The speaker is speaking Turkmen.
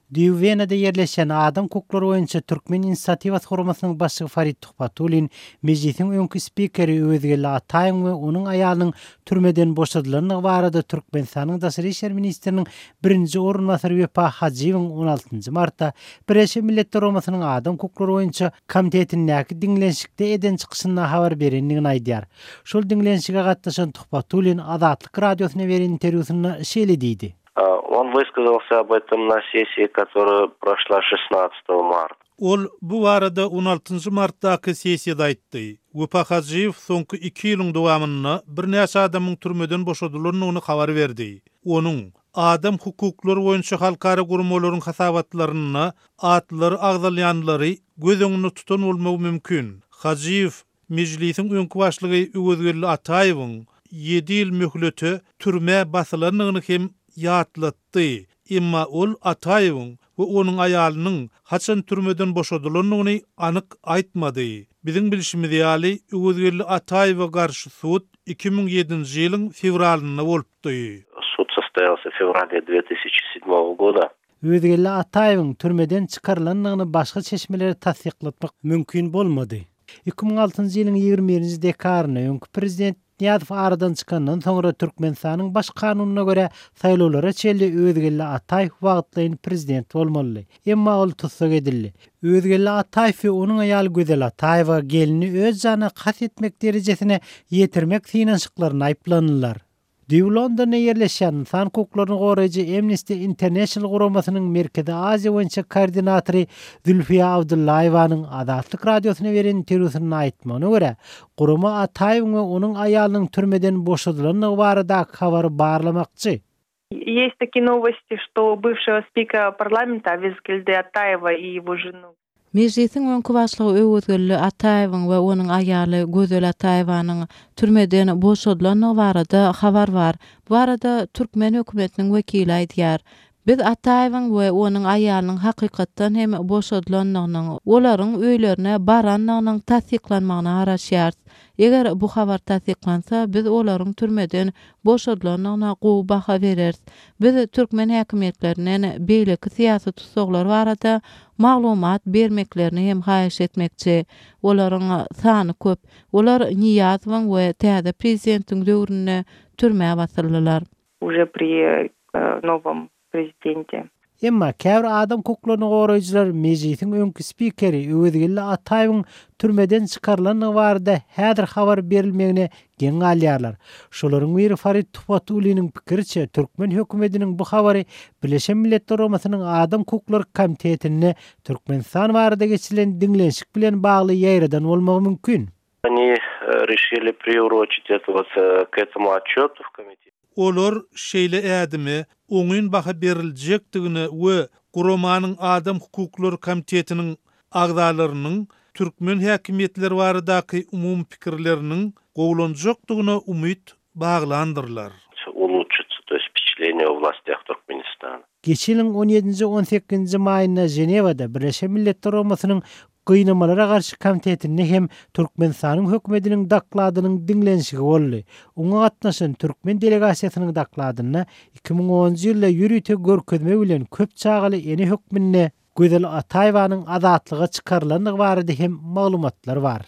Düýbi Wenada ýerleşýän Adam hukuklary boýunça Türkmen inisiatiwasy guramasynyň başlygy Farid Tuhbatullin Mejlisiň öňki spikeri Öwezgeldi Ataýewiň we onuň aýalynyň türmeden boşadylandygy barada Türkmenistanyň daşary işler ministriniň birinji orunbasary Wepa Hajyýewiň on altynjy martda Birleşen Milletler Guramasynyň Adam hukuklary boýunça komitetindäki diňlenişikde eden çykyşynda habar berendigini aýdýar. Şol diňlenişige gatnaşan Tuhbatullin Azatlyk Radiosyna beren interwýusynda şeýle diýdi. On wysказался об этом na sessiýi, которая proşla şestnadtsatogo marta. Ol bu barada on altynjy martdaky sessiýada aýtdy. Wepa Hajyýew soňky iki ýylyň dowamynda birnäçe adamyň türmeden boşadylandygyny habar berdi. Onuň, adam hukuklary boýunça halkara guramalaryň hasabatlarynda atlary agzalýanlary göz öňünde tutan bolmagy mümkin. Hajyýew Mejlisiň öňki başlygy Öwezgeldi Ataýewiň ýedi ýyl möhlete türmä basylandygyny hem ýatlatdy. Emma ol Ataýewiň we onuň aýalynyň haçan türmeden boşadylandygyny anyk aýtmady. Biziň bilşimiz ýaly, Öwezgeldi Ataýewe garşy sud 2007-nji ýylyň fewralynda bolupdy. Sud sostoýalsya w fewrale dwe tysyaçi sedmogo goda. Öwezgeldi Ataýewiň türmeden çykarylandygyny başga çeşmelere tassyklatmak mümkin bolmady. 2006-njy ýylyň 21-nji dekabrynda öňki prezident Nyýazow aradan çykandan soňra Türkmenistanyň Baş kanunyna görä saýlawlara çenli Öwezgeldi Ataýew wagtlaýyn prezident bolmalydy. Emma ol tussag edildi. Öwezgeldi Ataýew we onuň aýaly Gözel Ataýewa gelnini öz janyna kast etmek derejesine ýetirmek synanyşyklarynda aýyplandylar. Düýbi Londonda ýerleşýän ynsan hukuklaryny goraýjy Amnesty International guramasynyň Merkezi Aziýa boýunça koordinatory Zülfiýa Abdullaýewanyň Azatlyk Radiosyna beren interwýusynda aýtmagyna görä, gurama Ataýewiň we onuň aýalynyň türmeden boşadylandygy baradaky habary barlamakçy. Есть такие новости, что бывшего спикера парламента Öwezgeldi Ataýewa и его жену. Mejlisiň öňki başlygy Öwezgeldi Ataýewiň we onuň aýaly Gözel Ataýewanyň türmeden boşadylandygy barada habar bar. Bu barada türkmen hökümetiniň wekili aýdýar. Biz Ataýewiň we onuň aýalynyň hakykatdan hem boşadylandygynyň, olaryň öýlerine barandygynyň tassyklanmagyna garaşýarys. Eger bu habar tassyklansa, biz olaryň türmeden boşadylandygyna gowy baha bereris. Biz türkmen häkimiýetlerinden beýleki syýasy tussaglar barada maglumat bermeklerini hem haýyş etmekçi. Olaryň sany köp. Olar Nyýazowyň we täze prezidentiň döwründe türmä basyldylar. Уже pri nowom prezidente. Emma käbir adam hukuklaryny goraýjylar Mejlisiň öňki spikeri Öwezgeldi Ataýewiň türmeden çykarylandygy barada häzir habar berilmegine geň galýarlar. Şolaryň biri Farid Tuhbatulliniň pikiriçe, türkmen hökümetiniň bu habary Birleşen Milletler Guramasynyň Adam hukuklary komitetinde Türkmenistan barada geçirilen diňlenişik bilen bagly ýaýradan bolmagy mümkin. Oni reşili priuroçit eto wot k etomu otçetu w komitet. Olar şeýle ädime oňyn baha beriljekdigine we guramanyň Adam hukuklary komitetiniň agzalarynyň türkmen häkimiýetleri baradaky umumy pikirleriniň gowulanjakdygyna umyt baglandyrlar. Ulutşitsa, to ýest wpeçatleniýe o wlastýah Türkmenistana. Geçen ýylyň on ýedinji, on sekizinji maýynda Ženewada Birleşen Milletler Guramasynyň Gynamalara garşy komitetinde hem Türkmenistanyň hökümetiniň dokladynyň diňlenişigi boldy. Oňa gatnaşan türkmen delegasiýasynyň dokladynda 2010-njy ýylda ýörite görkezme bilen köp çagaly ene hökmünde Gözel Ataýewanyň azatlyga çykarylandygy barada hem maglumatlar bar.